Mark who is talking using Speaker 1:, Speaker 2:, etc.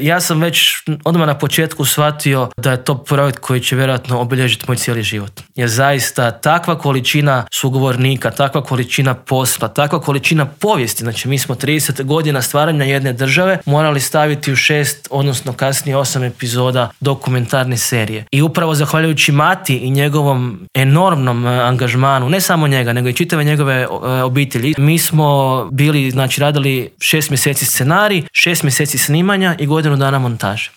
Speaker 1: Ja sam već odmah na početku shvatio da je to projekt koji će vjerojatno obilježiti moj cijeli život. Jer zaista takva količina sugovornika, takva količina posla, takva količina povijesti, znači mi smo 30 godina stvaranja jedne države morali staviti u 6, odnosno kasnije 8 epizoda dokumentarne serije. I upravo zahvaljujući Mati i njegovom enormnom angažmanu, ne samo njega, nego i čitave njegove obitelji, mi smo bili, znači radili 6 mjeseci scenarij, 6 mjeseci snimanja i godinu dana montaže.